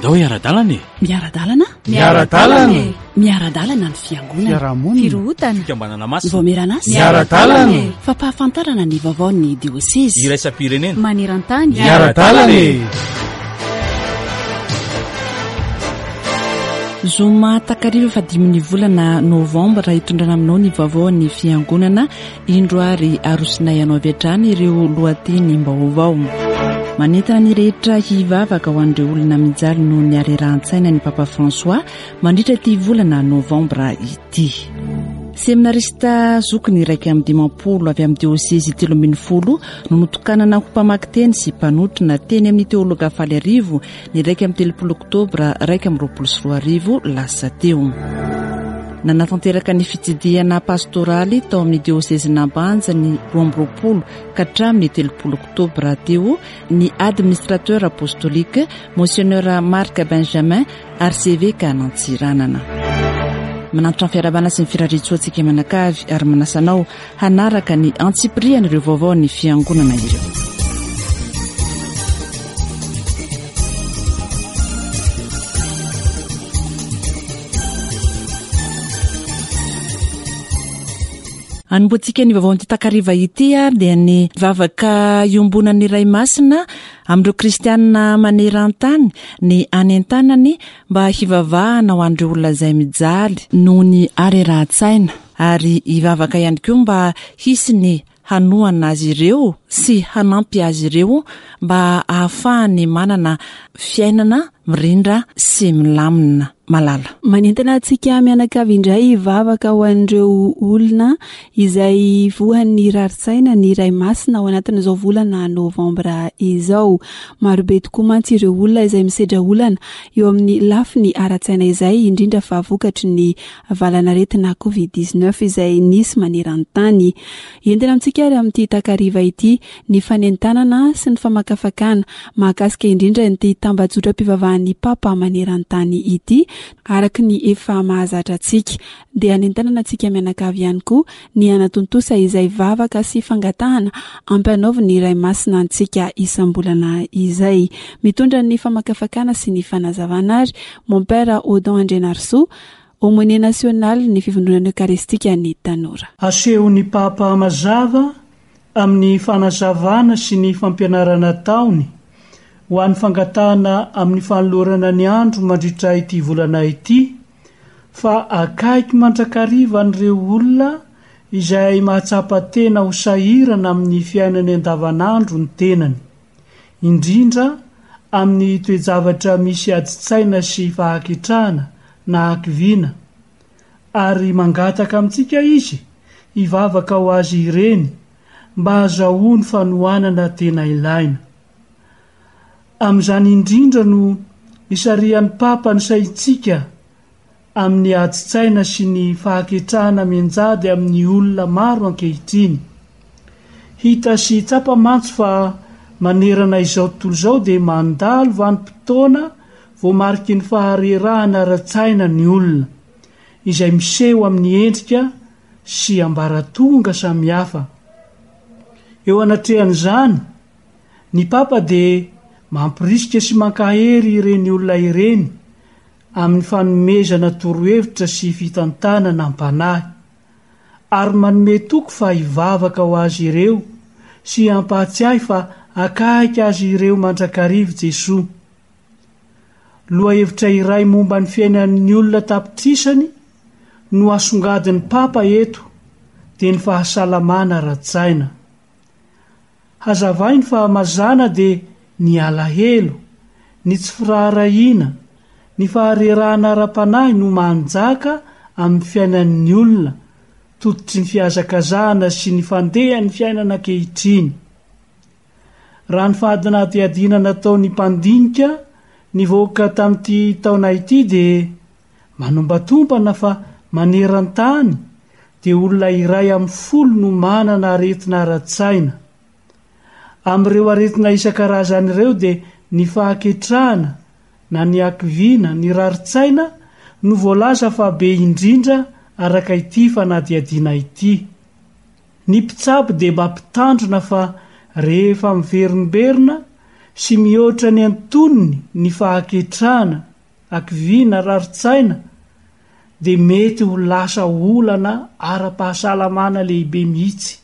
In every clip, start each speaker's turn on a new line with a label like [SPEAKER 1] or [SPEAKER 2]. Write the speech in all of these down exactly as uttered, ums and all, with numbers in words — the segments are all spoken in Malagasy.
[SPEAKER 1] Andao hiara-dalana e!
[SPEAKER 2] Miara-dalana?
[SPEAKER 3] Miara-dalana e!
[SPEAKER 2] Miara-dalana ny fiangonana.
[SPEAKER 3] Fiarahamonina.
[SPEAKER 2] Firohotana.
[SPEAKER 1] Fikambanana masina.
[SPEAKER 2] Vomeran'asa.
[SPEAKER 3] Miara-dalana e!
[SPEAKER 2] Fampahafantarana ny vaovaon'ny diosezy.
[SPEAKER 1] Iraisam-pirenena.
[SPEAKER 2] Maneran-tany.
[SPEAKER 3] Miara-dalana e!
[SPEAKER 4] Zoma takariva fahadimin'ny volana novambra hitondrana aminao ny vaovaon'ny fiangonana. Indro ary arosinay anao avy hatrany ireo lohatenim-baovao. Manentana ny rehetra hivavaka ho an'ireo olona mijaly noho ny harerahan-tsaina ny Papa François mandritra ity volana novambra ity. Seminarista zokiny iraika amby dimampolo avy amin'ny diosezy telo ambin'ny folo no notokanana ho mpamaky teny sy mpanotrona teny amin'ny teologa faly arivo ny iraika amby telopolo oktobra iraika amby roapolo sy roa arivo lasa teo. Nanatanteraka ny fitsidihana pastoraly tao amin'ny diosezin'Ambanja ny roa amby roapolo ka hatramin'ny telopolo oktobra teo ny administrateur apostolique Monseigneur Marc Benjamin archevêque an'Antsiranana. Manantitra ny fiarahabana sy ny firariantsoantsika manakavy ary manasa anao hanaraka ny antsipirian'ireo vaovao ny fiangonana ireo. Anombohantsika ny vaovao an'ity takariva ity ary dia ny vavaka iombonan'ny Ray Masina amin'ireo kristianina maneran-tany ny anentanany mba hivavahana ho an'ireo olona izay mijaly noho ny harerahan-tsaina ary hivavaka ihany koa mba hisy ny hanohana azy ireo sy hanampy azy ireo mba ahafahany manana fiainana mirindra sy milamina. Malala.
[SPEAKER 5] Manentana antsika mianakavy indray hivavaka ho an'ireo olona izay voan'ny rarin-tsaina ny Ray Masina ao anatin'izao volana novambra izao. Marobe tokoa mantsy ireo olona izay misedra olana eo amin'ny lafiny ara-tsaina izay, indrindra fa vokatry ny valanaretina covid dix-neuf izay nisy maneran-tany. Entina amintsika ary amin'ity takariva ity ny fanentanana sy ny famakafakana mahakasika indrindra ity tambajotram-pivavahan'ny Papa maneran-tany ity, araka ny efa mahazatra antsika. Dia anentanana antsika mianakavy ihany koa ny hanatontosa izay vavaka sy fangatahana ampanaovin'ny Ray Masina antsika isam-bolana izay. Mitondra ny famakafakana sy ny fanazavana ary Mon Père Odon Andrianarisoa, aumônier national ny fivondronana eucharistique ny tanora.
[SPEAKER 6] Asehon'ny Papa mazava amin'ny fanazavana sy ny fampianarana ataony ho an'ny fangatahana amin'ny fanolorana ny andro mandritra ity volana ity fa akaiky mandrakariva an'ireo olona izay mahatsapa tena ho sahirana amin'ny fiainany andavanandro ny tenany, indrindra amin'ny toe-javatra misy adin-tsaina sy fahaketrahana na hakiviana, ary mangataka amintsika izy hivavaka ho azy ireny mba hahazoany fanohanana tena ilaina. Amin'izany indrindra no isarihan'ny Papa ny saintsika amin'ny adin-tsaina sy ny fahaketrahana mianjady amin'ny olona maro ankehitriny. Hita sy tsapa mantsy fa manerana izao tontolo izao dia mandalo vanim-potoana voamariky ny faharerahana ara-tsaina ny olona, izay miseho amin'ny endrika sy ambaratonga samihafa. Eo anatrehan'izany, ny Papa dia mampirisika sy mankahery ireny olona ireny amin'ny fanomezana torohevitra sy fitantanana am-panahy, ary manome toky fa hivavaka ho azy ireo sy hampahatsiahy fa akaiky azy ireo mandrakariva Jesoa. Lohahevitra iray momba ny fiainan'ny olona tapitrisany no asongadin'ny Papa eto, dia ny fahasalamana ara-tsaina. Hazavainy fa mazàna dia ny alahelo, ny tsy firaharahiana, ny faharerahana ara-panahy no manjaka amin'ny fiainan'ny olona, tototry ny fihazakazahana sy ny fandehan'ny fiainana ankehitriny. Raha ny fahadinadihadiana nataon'ny mpandinika nivoaka tamin'ity taona ity dia manombatombana fa maneran-tany dia olona iray amin'ny folo no manana aretina ara-tsaina. Amin'ireo aretina isan-karazany ireo dia ny fahaketrahana na ny hakiviana, ny rarin-tsaina no voalaza fa be indrindra araka ity fanadihadiana ity. Ny mpitsabo dia mampitandrina fa rehefa miverimberina sy mihoatra ny antonony ny fahaketrahana, hakiviana, rarin-tsaina, dia mety ho lasa olana ara-pahasalamana lehibe mihitsy.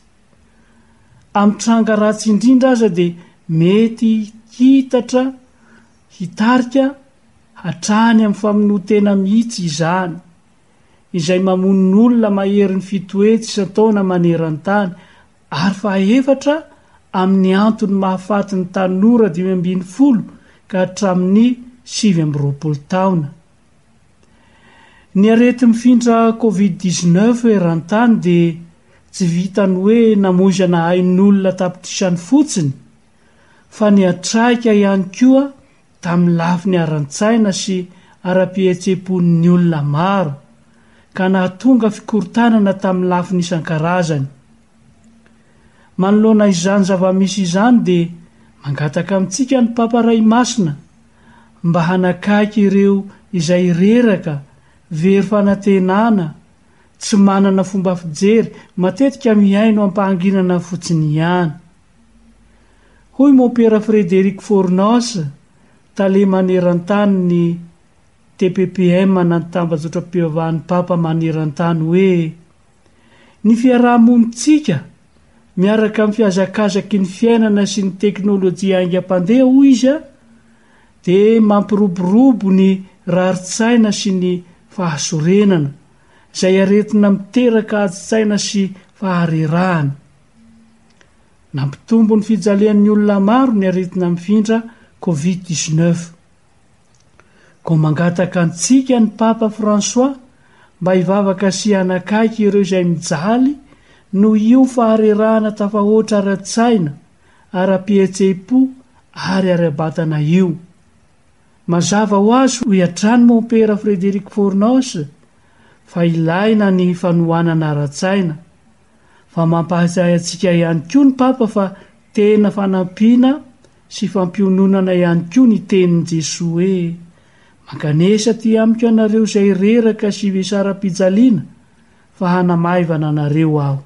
[SPEAKER 6] Amin'ny tranga ratsy indrindra aza dia mety hitatra, hitarika hatrany amin'ny famonoan-tena mihitsy izany, izay mamono olona maherin'ny fito hetsy isan-taona maneran-tany, ary fahaefatra amin'ny antony mahafaty ny tanora dimy ambin'ny folo ka hatramin'ny sivy amby roapolo taona. Ny areti-mifindra Covid dix-neuf eran-tany dia tsy vitan'ny hoe namoizana ain'olona tapitrisany fotsiny, fa niantraika ihany koa tamin'ny lafiny ara-tsaina sy ara-pihetseham-pon'ny olona maro, ka nahatonga fikorontanana tamin'ny lafiny isan-karazany. Manoloana izany zava-misy izany dia mangataka amintsika ny Papa Ray Masina mba hanakaiky ireo izay reraka, very fanantenana, tsy manana fomba fijery, matetika mihaino am-pahanginana fotsiny ihany. Hoy Mompera Frédéric Fornos, tale maneran-tany ny T P P M na ny tambajotram-pivavahan'ny Papa maneran-tany hoe ny fiaraha-monintsika miaraka amin'ny fihazakazaky ny fiainana sy ny teknôlôjia haingam-pandeha, hoy izy, dia mampiroborobo ny rarin-tsaina sy ny fahasorenana, izay aretina miteraka adi-tsaina sy faharerahana. Nampitombo ny fijalian'ny olona maro ny aretina mifindra Covid dix-neuf. Koa mangataka antsika ny Papa François mba hivavaka sy hanakaiky ireo izay mijaly noho io faharerahana tafahoatra ara-tsaina, ara-pihetseham-po ary ara-batana io. Mazava ho azy, hoy hatrany Mompera Frédéric Fornos, fa ilaina ny fanohanana ara-tsaina, fa mampahatsiahy antsika ihany koa ny Papa fa tena fanampiana sy fampiononana ihany koa ny tenin'i Jesoa hoe mankanesa aty amiko ianareo izay reraka sy vesaram-pijaliana, fa hanamaivana anareo aho.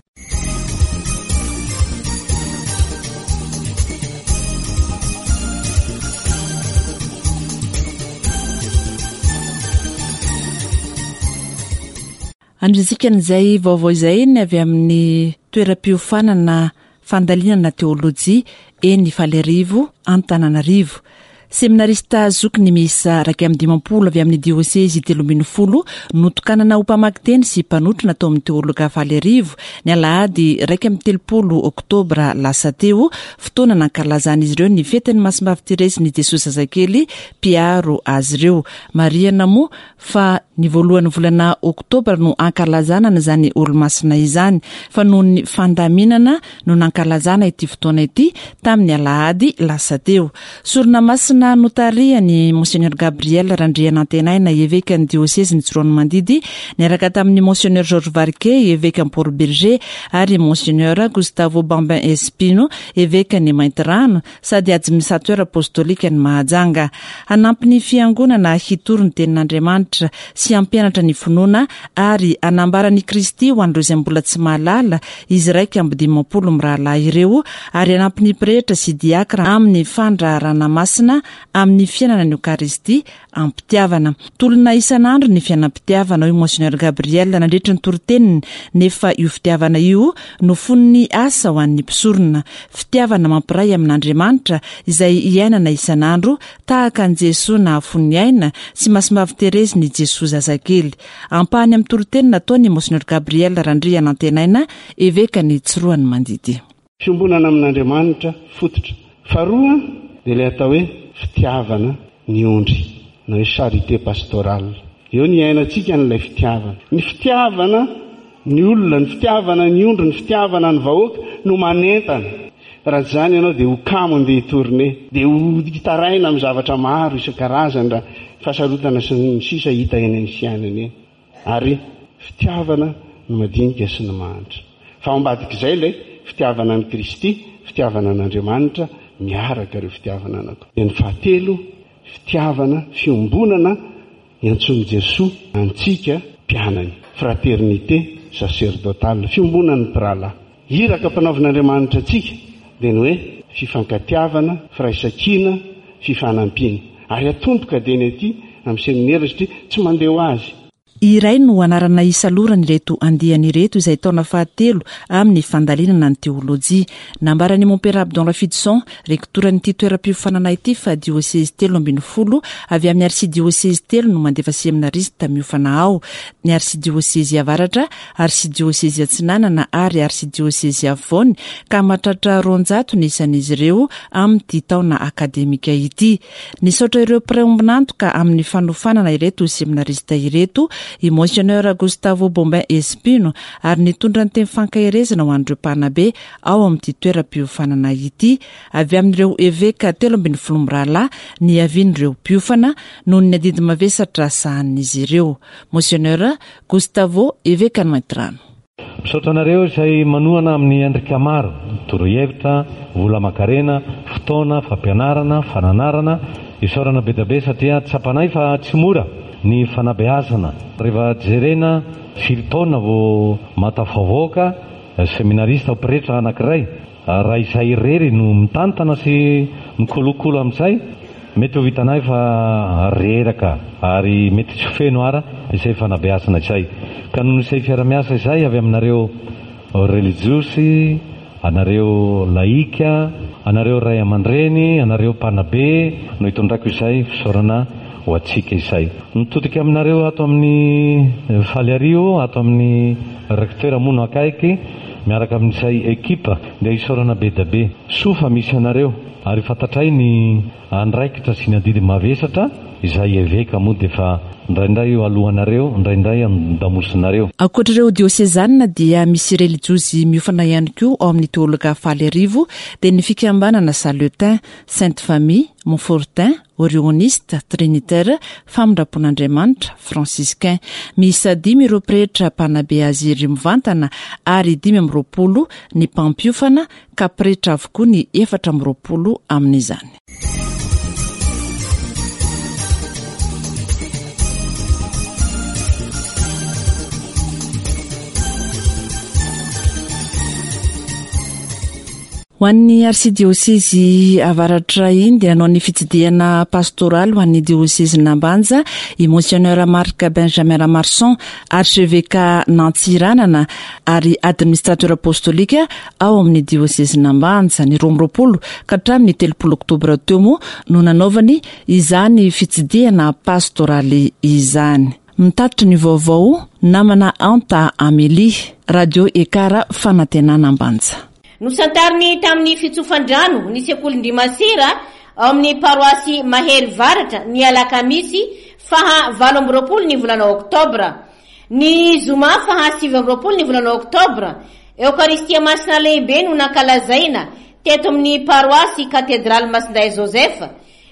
[SPEAKER 4] Andrisika an'izay vaovao izay ny avy amin'ny toeram-piofanana fandalinana teolojia eny Ifaliarivo Antananarivo. Seminarista zokiny miisa iraika amby dimampolo avy amin'ny diosezy telo ambin'ny folo notokanana ho mpamaky teny sy mpanotrona tao amin'ny teologa Ifaliarivo ny alahady iraika amby telopolo oktobra lasa teo, fotoana nankalazan'izy ireo ny fetin'ny Masimbavy Terezy ny Jesoa Zazakely mpiaro azy ireo. Marihana moa fa ny voalohan'ny volana oktobra no ankalazana an'izany olomasina izany, fa noho ny fandaminana no nankalazana ity fotoana ity tamin'ny alahady lasa teo. Sorona masina notarihan'i Monseigneur Gabriel Randrianantenaina, evekan'ny diosezin'i Tsiroanomandidy, niaraka tamin'ny Monseigneur Georges Varquet, evekan'i Port-Bergé, ary Monseigneur Gustavo Bambin Espino, evekan'i Maintirano, sady administrateur apostolique ny Mahajanga. Hanampy ny fiangonana hitory ny tenin'Andriamanitra sy hampianatra ny finoana ary hanambara ny Kristy ho an'ireo izay mbola tsy mahalala izy iraika amby dimampolo mirahalahy ireo, ary hanampy ny pretra sy diakra amin'ny fandraharahana masina amin'ny fiainana ny Eokaristia am-pitiavana. Tolona isan'andro ny fiainam-pitiavana, hoy Monseigneur Gabriel nandritra ny toriteniny, nefa io fitiavana io no fon'ny asa ho an'ny mpisorona. Fitiavana mampiray amin'Andriamanitra izay iainana isan'andro tahaka an'i Jesoa nahafoy ny aina sy Masimbavy Terezy ny Jesoa zazakely. Ampahany amin'ny toriteny nataony Monseigneur Gabriel Randrianantenaina, evekan'i Tsiroanomandidy.
[SPEAKER 1] Fiombonana amin'Andriamanitra fototra. Faharoa dia ilay atao hoe fitiavana ny ondry, na hoe charité pastorale. Eo ny iainantsika n'ilay fitiavana. Ny fitiavana ny olona, ny fitiavana ny ondry, ny fitiavana ny vahoaka no manentana. Raha tsy izany ianao dia ho kamo andeha hitourne, dia ho hitaraina amin'ny zavatra maro isan-karazany raha fahasarotana sy ny sisa hita eny amin'ny fiainana eny. Ary fitiavana ny madinika sy ny mahantra. Fa ao ambadik'izay ilay fitiavana an'i Kristy, fitiavana an'Andriamanitra, miaraka ireo fitiavana anankiroa. Dia ny fahatelo, fitiavana, fiombonana iantsoan'i Jesoa antsika mpianany. Fraternité sacerdotale, fiombonan'ny mpirahalahy. Iraka mpanaovin'Andriamanitra antsika dia ny hoe Fifankatiavana, firaisankina, fifanampiana. Ary atomboka dia ny aty amin'ny seminera satria tsy mandeha ho azy.
[SPEAKER 4] Iray no anarana isaloran'ireto andiany ireto izay taona fahatelo amin'ny fandalinana ny teolojia. Nambaran'i Mompera Abdon Rafidison, rektoran'ity toeram-piofanana ity, fa diosezy telo ambin'ny folo avy amin'ny arsidiosezy telo no mandefa seminarista miofana ao: ny arsidiosezy avaratra, arsidiosezy atsinanana ary arsidiosezy afovoany, ka mahatratra roanjato ny isan'izy ireo amin'ity taona akademika ity. Nisaotra ireo mpiray ombon'antoka amin'ny fanofanana ireto seminarista ireto i Monseigneur Gustavo Bombin Espino, ary nitondra ny teny fankaherezana ho an'ireo mpanabe ao amin'ity toeram-piofanana ity. Avy amin'ireo eveka telo ambin'ny folo mirahalahy ny avian'ireo mpiofana noho ny adidy mavesatra sahanin'izy ireo. Monseigneur Gustavo, eveka ny Maintirano.
[SPEAKER 7] Misaotra anareo izay manohana amin'ny endrika maro: torohevitra, vola aman-karena, fotoana, fampianarana, fananarana. Isaorana be dia be satria tsapanay fa tsy mora ny fanabeazana. Rehefa jerena firy taona vao mahatafavoaka seminarista pretra anankiray, raha izay irery no mitantana sy mikolokolo amin'izay, mety ho vitanay fa reraka ary mety tsy feno ara izay fanabeazana izay. Ka noho izay fiara-miasa izay avy aminareo religiosy, anareo laika, anareo ray aman-dreny, anareo mpanabe no hitondrako izay fisaorana ho antsika izay. Mitodika aminareo ato amin'ny Faliario, ato amin'ny recteur moa no akaiky, miaraka amin'izay ekipa, dia isaorana be dia be. Soa fa misy anareo ary fantatray ny andraikitra sy ny adidy mavesatra izay eveka moa dia efa indraindray eo alohanareo, indraindray an-damosinareo.
[SPEAKER 4] Ankoatra ireo diosezanina dia misy relijiozy miofana ihany koa ao amin'ny teologa Faliarivo, dia ny fikambanana Saletin, Sainte Famille, Montfortin, Orioniste, Trinitaire, Famindram-pon'Andriamanitra, Franciscain. Miisa dimy ireo pretra mpanabe azy ireo mivantana ary dimy amby roapolo ny mpampiofana, ka pretra avokoa ny efatra amby roapolo amin'izany. Ho an'ny arsidiosezy avaratra iny dia nanao ny fitsidihana pastoraly ho an'ny diosezy Nambanja i Monseigneur Marc Benjamin Ramarson, archevêque Nantsiranana ary administrateur apostolika ao amin'ny diosezy Nambanja. Ny roa amby roapolo ka hatramin'ny telopolo oktobra teo moa no nanaovany izany fitsidihana pastoraly izany. Mitatitra ny vaovao namana Anta Amélie, Radio Ekara Fanantenana Ambanja.
[SPEAKER 8] Nosantariny tamin'ny fitsofan-drano ny sekolin-dry Masera ao amin'ny paroasy Mahery Varatra ny alakamisy faha valo amby roapolo ny volana oktobra. Ny zoma faha sivy amby roapolo ny volana oktobra, Eokaristia Masina lehibe no nankalazaina teto amin'ny paroasy Katedraly Masindahy Joseph.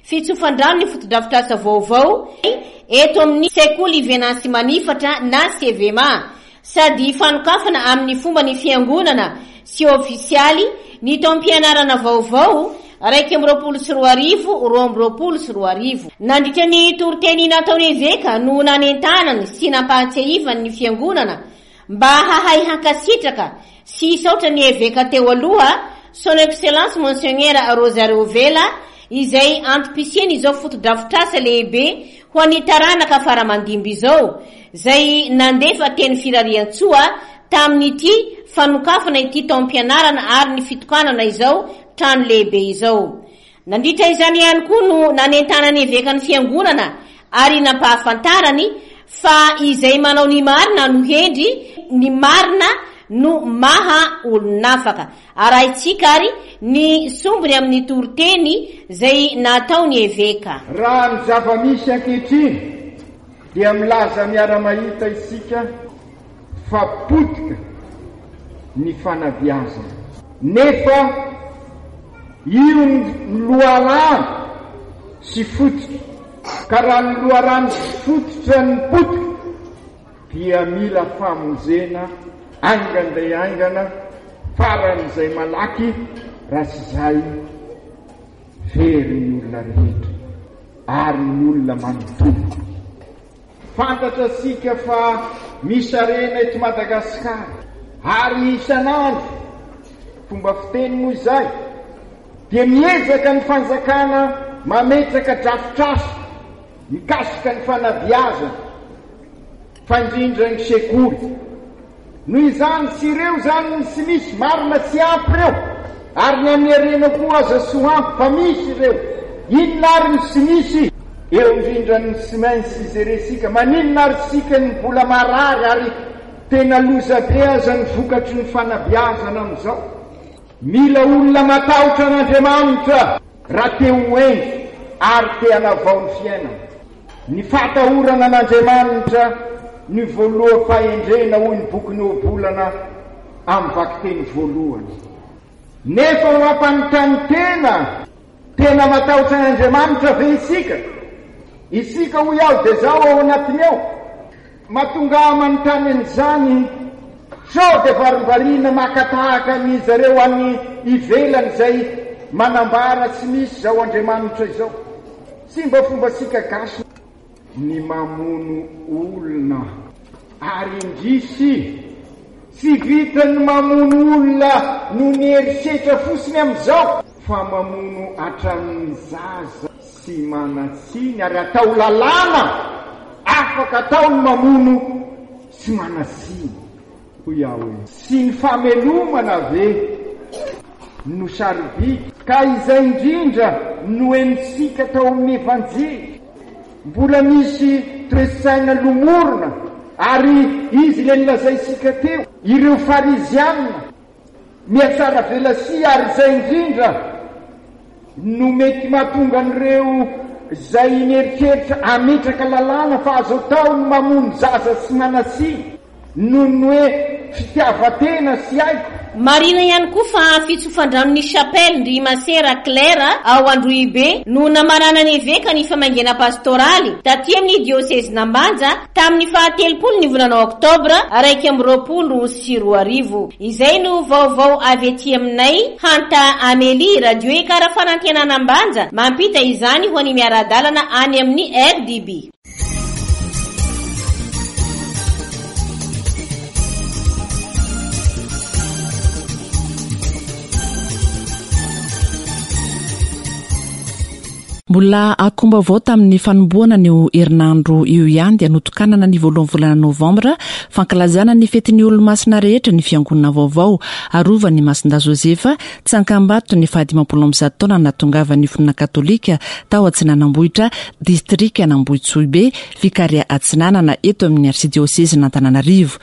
[SPEAKER 8] Fitsofan-drano ny fotodrafitrasa vaovao eto amin'ny sekoly Venancy Manifatra na C V M A, sady fanokafana amin'ny fomba ny fiangonana sy ofisialy ny taom-pianarana vaovao raiky amby roapolo sy roa arivo, roa amby roapolo sy roa arivo. Nandritra ny toriteny nataony eveka no nanentanany sy nampahatsiahivany ny fiangonana mba hahay hankasitraka sy hisaotra ny eveka teo aloha, Son Excellence Monseigneur Rosario Vela, izay antom-pisiany izao fotodrafitrasa lehibe ho an'ny taranaka faramandimby izao, izay nandefa teny firariantsoa tamin'ity fanokafana ity taom-pianarana ary ny fitokanana izao trano lehibe izao. Nandritra izany ihany koa no nanentanany evekan'ny fiangonana ary nampahafantarany fa izay manao ny marina no hendry, ny marina no maha olon'afaka. Arahintsika ary ny sombiny amin'ny toriteny izay nataony eveka.
[SPEAKER 9] Raha ny zava-misy ankehitriny dia milaza miara-mahita isika fa potika ny fanabeazana, nefa io ny loharano sy fototra, ka raha ny loharano sy fototra ny potika dia mila famonjena haingana dia haingana, faran'izay malaky, raha tsy izay very ny olona rehetra ary ny olona manontolo. Fantatra isika fa misy harena eto Madagasikara ary isan'andro, fomba fiteny moa izay, dia miezaka ny fanjakana mametraka drafitrasa mikasika ny fanabeazana, fa indrindra ny sekoly. Noho izany, tsy ireo izany ny tsy misy, marina tsy ampy ireo, ary ny an'ny harena koa aza tsy ho ampy fa misy ireo. Inona ary ny tsy misy? Eo indrindra ny tsy maintsy jerentsika. Maninona ary isika no mbola marary ary tena loza be aza ny vokatry ny fanabeazana amin'izao? Mila olona matahotra an'Andriamanitra raha te ho hendry ary te hanavao ny fiainana. Ny fahatahorana an'Andriamanitra no voaloham-pahendrena hoy ny bokin'ny Ohabolana amin'ny vakiteny voalohany. Nefa mampanontany tena, tena matahotra an'Andriamanitra ve isika? Isika hoy aho dia izaho ao anatiny ao. Mahatonga ahy manontany an'izany, sao dia varimbariana maka tahaka an'i zareo any ivelany izay manambara tsy misy izao Andriamanitra izao. Tsy mba fombantsika gasy ny mamono olona. Ary indrisy, tsy vitan'ny mamono olona noho ny herisetra fotsiny amin'izao, fa mamono hatramin'ny zaza tsy manan-tsiny ary atao lalàna afaka atao ny mamono tsy manan-tsiny, hoy aho hoe. Tsy ny famelomana ve no sarobidy? Ka izay indrindra no henontsika tao amin'ny Evanjely. Mbola misy toe-tsaina lomorina, ary izy ilay nolazaintsika teo, ireo Fariziana mihatsaravelatsihy, ary izay indrindra no mety mahatonga an'ireo izay mieritreritra hametraka lalàna fa azo atao ny mamono zaza tsy manan-tsiny noho ny hoe fitiavan-tena sy haiko.
[SPEAKER 8] Marihina ihany koa fa fitsofan-dranon'ny Chapelle ndry Masera Claire ao Androhibe no namaranan'ny Eveka ny famangiana pastoraly taty amin'ny diosezin'Ambanja tamin'ny fahatelopolo ny volana oktobra iraika amby roapolo sy roa arivo. Izay no vaovao avy aty aminay, Hanta Amélie, Radio Ekara Fanantenana Ambanja, mampita izany ho an'ny miara-dalana any amin'ny R D B.
[SPEAKER 4] Mbola akomba-vaovao tamin'ny fanombohana an'io herinandro io ihany dia notokanana ny voalohan'ny volana novambra fankalazana ny fetin'ny olomasina rehetra ny fiangonana vaovao arovan'ny Masindahy Josefa Tsankambato ny fahadimampolo amby zato taona nahatongavan'ny finoana katolika tao Atsinanambohitra distrika Nambohitsohibe Vikaria Atsinanana eto amin'ny arsidiosezin'Antananarivo.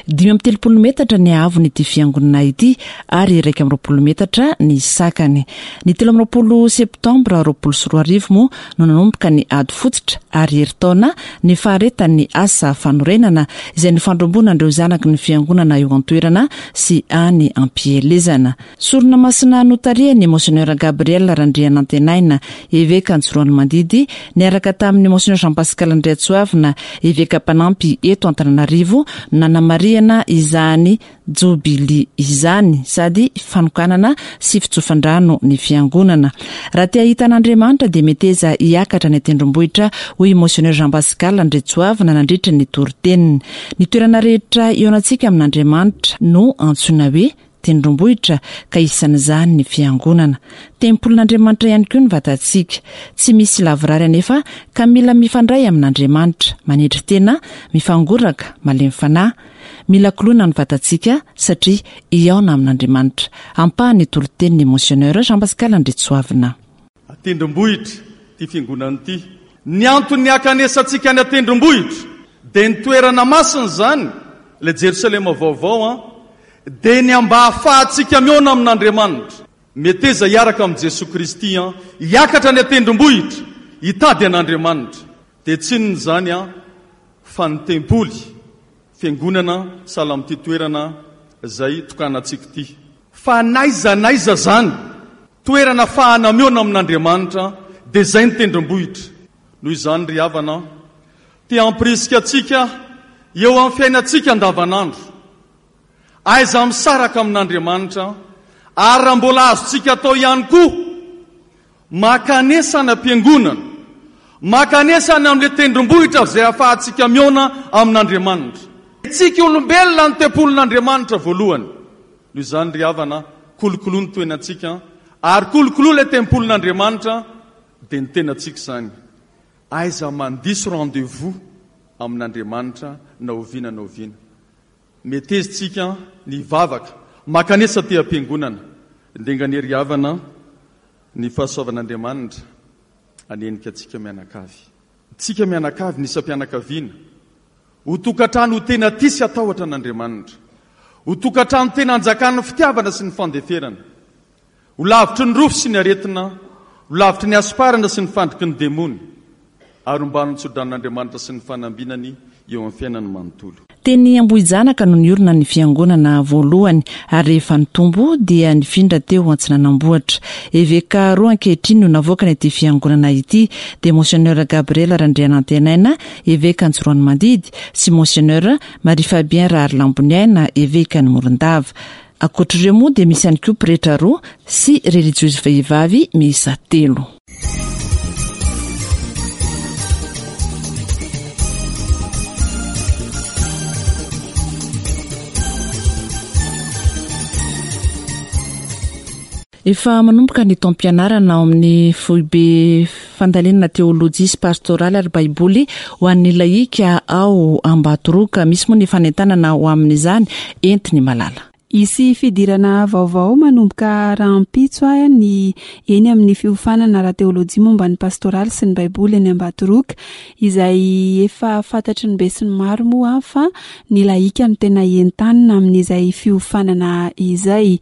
[SPEAKER 4] Dimy amby telopolo metatra ny haavon'ity fiangonana ity ary iraika amby roapolo metatra ny sakany. Ny telo amby roapolo septambra roapolo sy roa arivo moa no nanomboka ny ady fototra ary herintaona ny faharetan'ny asa fanorenana izay nifandrombonan'ireo zanaky ny fiangonana eo an-toerana sy any am-pielezana. Sorona masina notarihan'ny Monseigneur Gabriel Randrianantenaina, eveka Antsiroanomandidy, niaraka tamin'ny Monseigneur Jean Pascal Andriatsoavina, eveka mpanampy eto Antananarivo, nanamarihana izany jobily izany sady fanokanana sy fitsofan-drano ny fiangonana. Raha te hahita an'Andriamanitra dia meteza hiakatra any an-tendrombohitra, hoy Monseigneur Jean Pascal Andriatsoavina nandritra ny toriteniny. Ny toerana rehetra eo antsika amin'Andriamanitra no antsoina hoe tendrombohitra ka isan'izany ny fiangonana. Tempolin'Andriamanitra ihany koa ny vatantsika. Tsy misy lavorary anefa ka mila mifandray amin'Andriamanitra, manetry tena, mifangoraka, malemy fanahy. Mila koloina ny vatantsika satria hihaona amin'Andriamanitra. Ampahany toriteniny Monseigneur Jean Pascal Andriatsoavina.
[SPEAKER 10] Tendrombohitra ty fiangonana ity. Ny antony hakanesantsika any an-tendrombohitra dia ny toerana masina izany, ilay Jerosalema vaovao an, dia ny mba hahafahantsika mihaona amin'Andriamanitra. Meteza hiaraka amin'i Jesoa Kristy an, hiakatra any an-tendrombohitra, hitady an'Andriamanitra. Dia tsy inona izany an, fa ny tempoly, fiangonana sahala amin'ity toerana izay tokanantsika ity. Fa n'aiza n'aiza izany, toerana ahafahana mihaona amin'Andriamanitra, dia izay ny tendrombohitra. Noho izany ry havana, te hampirisika antsika eo amin'ny fiainantsika andavanandro. Aiza misaraka amin'Andriamanitra, ary raha mbola azontsika atao ihany koa, makanesa any am-piangonana, makanesa any amin'ilay tendrombohitra izay ahafahantsika mihaona amin'Andriamanitra. Tsika olombelona ny tempolin'Andriamanitra voalohany. Noho izany ry havana, kolokoloa ny toenantsika Ary kolokoloa ilay tempolin'Andriamanitra, dia ny tenantsika izany. Aiza mandiso rendez-vous amin'Andriamanitra na oviana na oviana. Meteza tsika ny hivavaka, mankanesa aty am-piangonana. Ndenga anie ry havana ny fahasoavan'Andriamanitra hanenika antsika mianakavy. Tsika mianakavy, ny isam-pianakaviana. Ho tokantrano ho tena tia sy hatahotra an'Andriamanitra. Ho tokantrano tena anjakan'ny fitiavana sy ny fandeferana. Ho lavitry ny rofy sy ny aretina, ho lavitry ny hasomparana sy ny fandriky ny demony, ary ho mbanin'ny tsodranon'Andriamanitra sy ny fanambinany eo amin'ny fiainany manontolo.
[SPEAKER 4] Teny Ambohijanaka no niorina ny fiangonana voalohany, ary rehefa nitombo dia nifindra teo Antsinanambohitra. Eveka roa ankehitriny no navoakany ity fiangonana ity, dia Monseigneur Gabriel Randrianantenaina, eveka Antsiroanomandidy, sy Monseigneur Marie Fabien Raharilamboniaina, eveka ny Morondava. Ankoatr'ireo moa dia misy ihany koa pretra roa sy relijiozy vehivavy miisa telo. Efa manomboka ny taom-pianarana ao amin'ny foibe fandalinana teolojia sy pastoraly ary baiboly ho an'ny lahika ao Ambatoroka. Misy moa ny fanentanana ho amin'izany entiny malala.
[SPEAKER 5] Hisy fidirana vaovao manomboka rahampitso ny eny amin'ny fiofanana ara-teolojia momba ny pastoraly sy ny baiboly eny Ambatoroka, izay efa fantatry ny besinimaro moa fa ny lahika no tena entanina amin'izay fiofanana izay.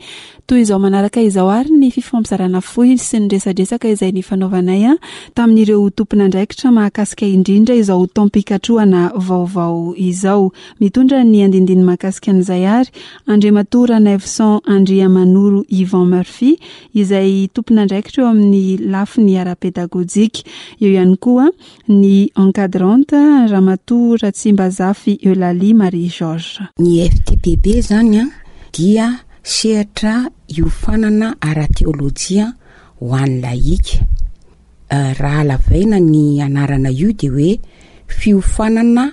[SPEAKER 5] Toy izao manaraka izao ary ny fifampizarana fohy sy ny resadresaka izay nifanaovanay tamin'ireo tompon'andraikitra mahakasika indrindra izao taom-pikatrohana vaovao izao. Mitondra ny andindiny mahakasika an'izay ary Andriamatoa Ranaivoson Andriamanoro Yvan Murphy, izay tompon'andraikitra eo amin'ny lafiny ara-pedagojika. Eo ihany koa ny encadrante Ramatoa Ratsimbazafy Eulalie Marie Georges.
[SPEAKER 11] Ny F T P B zany a dia sehatra iofanana ara-teolojia ho an'ny lahika. Eh, raha lavaina ny anarana io dia hoe fiofanana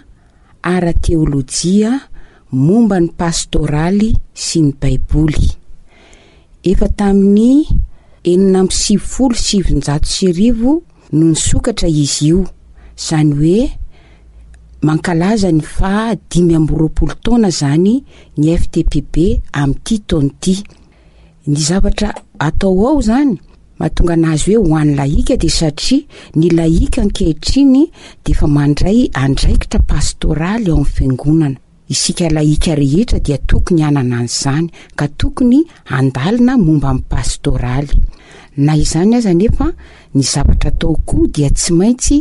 [SPEAKER 11] ara-teolojia momba ny pastoraly sy ny baiboly. Efa tamin'ny enina amby sivifolo sy sivinjato sy arivo no nisokatra izy io, izany hoe mankalaza ny faha dimy amby roapolo taona zany ny F T P B amin'ity taona ity. Ny zavatra atao ao zany mahatonga anazy hoe ho an'ny lahika dia satria ny lahika ankehitriny dia efa mandray andraikitra pastoraly ao amin'ny fiangonana. Isika lahika rehetra dia tokony hanana an'izany ka tokony handalina momba ny pastoraly. Na izany aza nefa ny zavatra atao koa dia tsy maintsy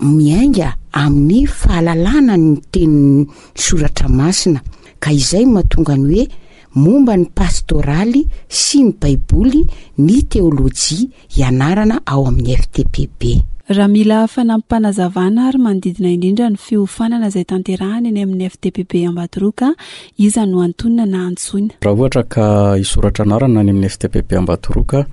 [SPEAKER 11] miainga amin'ny fahalalana ny tenin'ny soratra masina, ka izay mahatonga ny hoe momba ny pastoraly sy ny baiboly ny teolojia ianarana ao amin'ny F T P B.
[SPEAKER 5] Raha mila fanampim-panazavana ary manodidina indrindra ny fiofanana izay tanterahana eny amin'ny F T P B Ambatoroka, iza no antonona na antsoina?
[SPEAKER 12] Raha ohatra ka hisoratra anarana any amin'ny F T P B Ambatoroka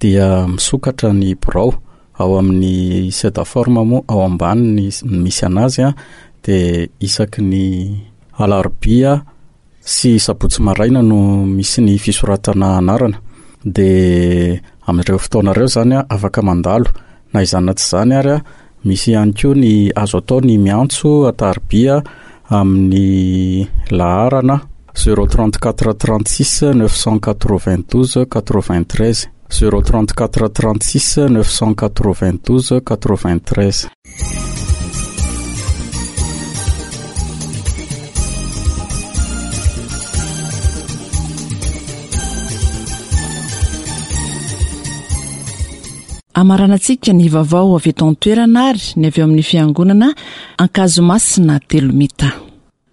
[SPEAKER 12] dia misokatra ny birao ao amin'ny Sedaforma moa ao ambany ny misy anazy a, dia isaky ny alarobia sy sabotsy maraina no misy ny fisoratana anarana. Dia amin'ireo fotoana ireo zany a, afaka mandalo. Na izany na tsy izany ary a, misy ihany koa ny azo atao ny miantso atarobia amin'ny laharana zéro trente-quatre trente-six neuf cent quatre-vingt-douze quatre-vingt-treize. zéro trente-quatre trente-six neuf cent quatre-vingt-douze quatre-vingt-treize.
[SPEAKER 4] Amaranantsika ny vaovao avy eto an-toerana ary ny avy eo amin'ny fiangonana Ankazomasina Telomita.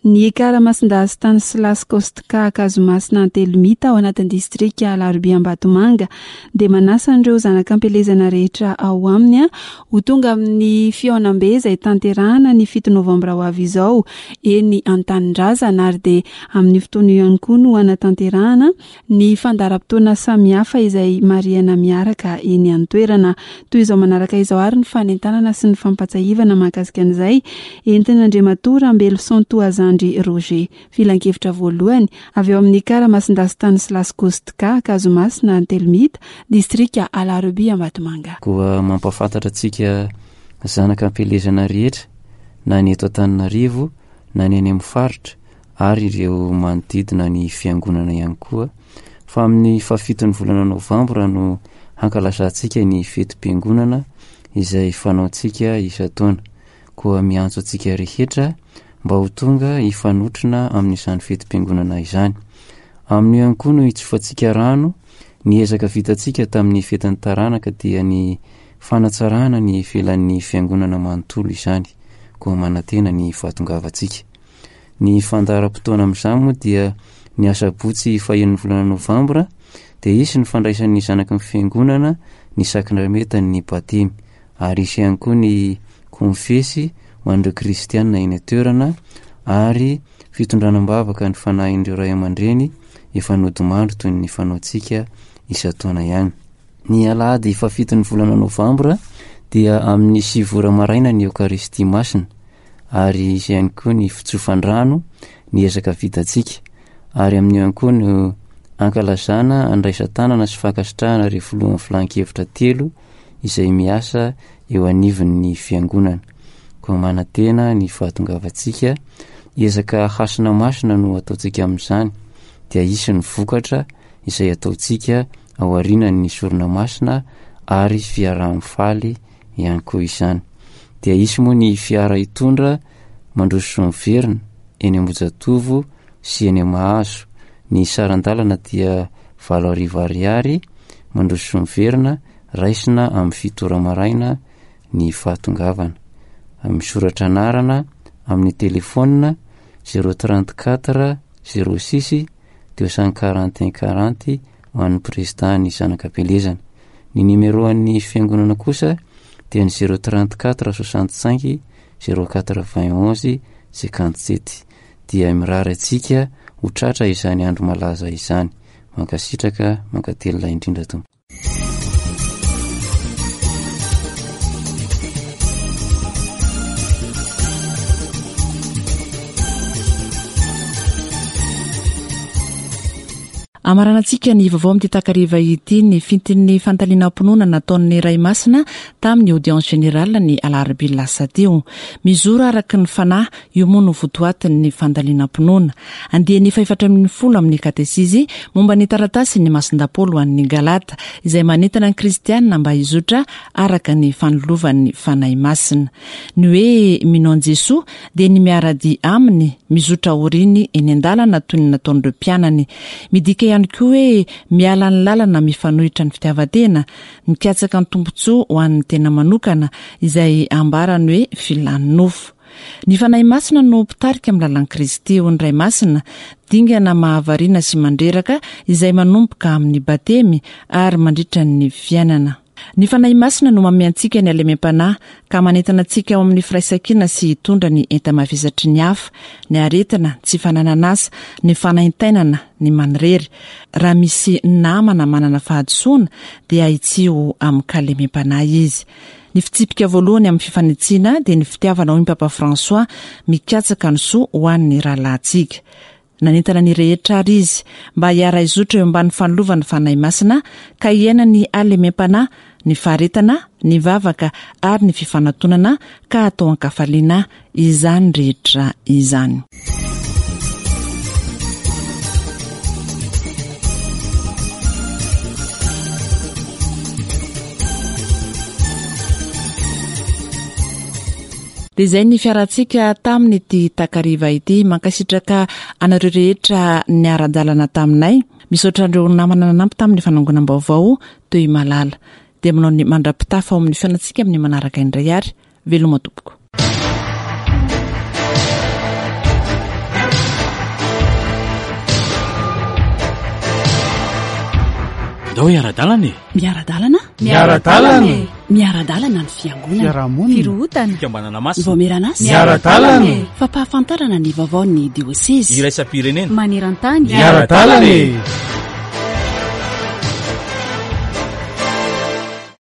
[SPEAKER 5] Ny Ekara Masindahy Stanislas Kostka Ankazomasina Antelomita ao anatin'ny distrika Alarobia Ambatomanga dia manasa an'ireo zanak'ampielezana rehetra ao aminy a, ho tonga amin'ny fihaonambe izay tanterahana ny fito novambra ho avy izao eny Antanindrazana, ary dia amin'ny fotoana io ihany koa no hanatanterahana ny fandaharam-potoana samihafa izay marihana miaraka eny an-toerana. Toy izao manaraka izao ary ny fanentanana sy ny fampatsiahivana mahakasika an'izay entin'Andriamatoa Rambeloson Toazandry Andry Roger. Filankevitra voalohany avy eo amin'ny Karamasindahy Stanislas Kostka, Ankazomasina, Antelomita, distrika Alarobia Ambatomanga.
[SPEAKER 13] Koa mampahafantatra antsika zanaka am-pielezana rehetra na ny eto Antananarivo na ny any amin'ny faritra ary ireo manodidina ny fiangonana ihany koa fa amin'ny fahafiton'ny volana novambra no hankalazantsika ny fetim-piangonana izay fanaontsika isan-taona. Koa miantso antsika rehetra mba ho tonga hifanotrona amin'izany fetim-piangonana izany. Amin'io ihany koa no hitsofantsika rano ny ezaka vitantsika tamin'ny fetin'ny taranaka dia ny fanatsarana ny ivelan'ny fiangonana manontolo izany. Koa manantena ny fahatongavantsika. Ny fandaharam-potoana amin'izany moa dia ny asabotsy fahenin'ny volana novambra dia hisy ny fandraisan'ny zanaky ny fiangonana ny sakramentan'ny batemy ary hisy ihany koa ny konfesy ho an'ireo kristianina eny an-toerana ary fitondrana am-bavaka ny fanahin'ireo ray aman-dreny efa nodimandry toy ny fanaontsika isan-taona ihany. Ny alahady fahafiton'ny volana novambra dia amin'ny sivy ora maraina ny Eokaristia masina ary hisy ihany koa ny fitsofan-drano ny ezaka vitantsika ary amin'io ihany koa no ankalazana andraisan-tanana sy fankasitrahana ireo filohan'ny filan-kevitra telo izay miasa eo anivon'ny fiangonana. Koa manantena ny fahatongavantsika, ezaka hasina masina no ataontsika amin'izany, dia hisy ny vokatra izay ataontsika ao aorianan'ny sorona masina ary fiaraha-mifaly ihany koa izany. Dia hisy moa ny fiara hitondra mandroso sy miverina eny Ambohijatovo sy eny Mahazo. Ny saran-dalana dia valo arivo ariary mandroso sy miverina, raisina amin'ny fito ora maraina ny fahatongavana. Misoratra anarana amin'ny telefaonina zéro trente quatre zéro six deux cent quarante un quarante ho an'ny prezida ny zanak'Abelezana. Ny numéro an'ny fiangonana kosa dia ny zéro trente quatre soixante cinq zéro quatre vingt onze cinquante sept. Dia mirary antsika ho tratra izany andro malaza izany. Mankasitraka, mankatelina indrindra tompoko.
[SPEAKER 4] Amaranantsika ny vaovao amin'ity takariva ity ny fintin'ny fanontaniam-pinoana nataon'ny Ray Masina tamin'ny audience générale ny alarobia lasa teo. Mizoro araka ny fanahy, io moa no votoatin'ny fandalinam-pinoana. Andiany fahefatra ambin'ny folo amin'ny katesizy momba ny taratasy ny Masindahy Paoly ho an'ny Galata, izay manentana ny kristianina mba hizotra araka ny fanolovan'ny Fanahy Masina. Ny hoe mino an'i Jesoa dia ny miara-dia aminy, mizotra aoriany eny an-dalana toy ny nataon'ireo mpianany. Midika ihany koa hoe miala ny lalana mifanohitra ny fitiavan-tena, mikatsaka ny tombontsoa ho an'ny tena manokana, izay ambarany hoe filan'ny nofo. Ny Fanahy Masina no mpitarika amin'ny lalan'i Kristy ho ny Ray Masina, dingana mahavariana sy mandreraka izay manomboka amin'ny batemy ary mandritra ny fiainana. Ny Fanahy Masina no manome antsika ny halemem-panahy ka manentana antsika ao amin'ny firaisankina sy hitondra ny enta-mavesatry ny hafa, ny aretina, tsy fananan'asa, ny fanaintainana, ny manirery. Raha misy namana manana fahadisoana dia ahitsiho amin-kalemem-panahy izy. Ny fitsipika voalohany amin'ny fifanitsiana dia ny fitiavana, hoy ny Papa François, mikatsaka ny soa ho an'ny rahalahintsika. Nanentana ny rehetra ary izy mba hiara-hizotra eo ambany fanilovan'ny Fanahy Masina ka hiaina ny halemem-panahy, ny faharetana, ny vavaka ary ny fifanatonana ka atao an-kafaliana izany rehetra izany. Dia izay ny fiarantsika tamin'ity takariva ity. Mankasitraka anareo rehetra niara-dalana taminay. Misaotra an'ireo namana nanampy tamin'ny fanangonam-baovao toy malala. Dia manao ny mandra-pitafa ao amin'ny fiainantsika amin'ny manaraka indray ary. Veloma tompoko.
[SPEAKER 14] Ndao hiara-dalana e.
[SPEAKER 2] Miara-dalana?
[SPEAKER 3] Miara-dalana e.
[SPEAKER 2] Miara-dalana ny fiangonana.
[SPEAKER 3] Fiarahamonina.
[SPEAKER 2] Firohotana.
[SPEAKER 14] Fikambanana masina.
[SPEAKER 2] Vaomieran'asa.
[SPEAKER 3] Miara-dalana e.
[SPEAKER 2] Fampahafantarana ny vaovaon'ny diosezy.
[SPEAKER 14] Iraisam-pirenena.
[SPEAKER 2] Maneran-tany.
[SPEAKER 3] Miara-dalana e.